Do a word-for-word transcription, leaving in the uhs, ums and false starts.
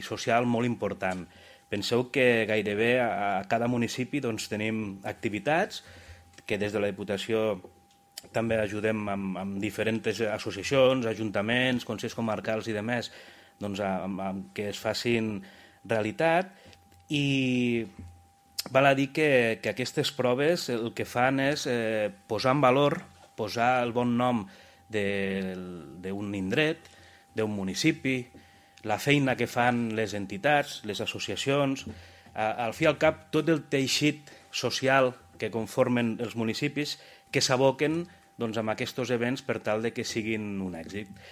i social molt important. Penseu que gairebé a cada municipi doncs, tenim activitats que des de la Diputació també ajudem amb, amb diferents associacions, ajuntaments, consells comarcals i demés, doncs, amb, amb, que es facin realitat, i val a dir que, que aquestes proves el que fan és eh, posar en valor, posar el bon nom d'un indret, d'un municipi, la feina que fan les entitats, les associacions, al fi i al cap tot el teixit social que conformen els municipis que s'aboquen doncs, amb aquests events per tal de que siguin un èxit.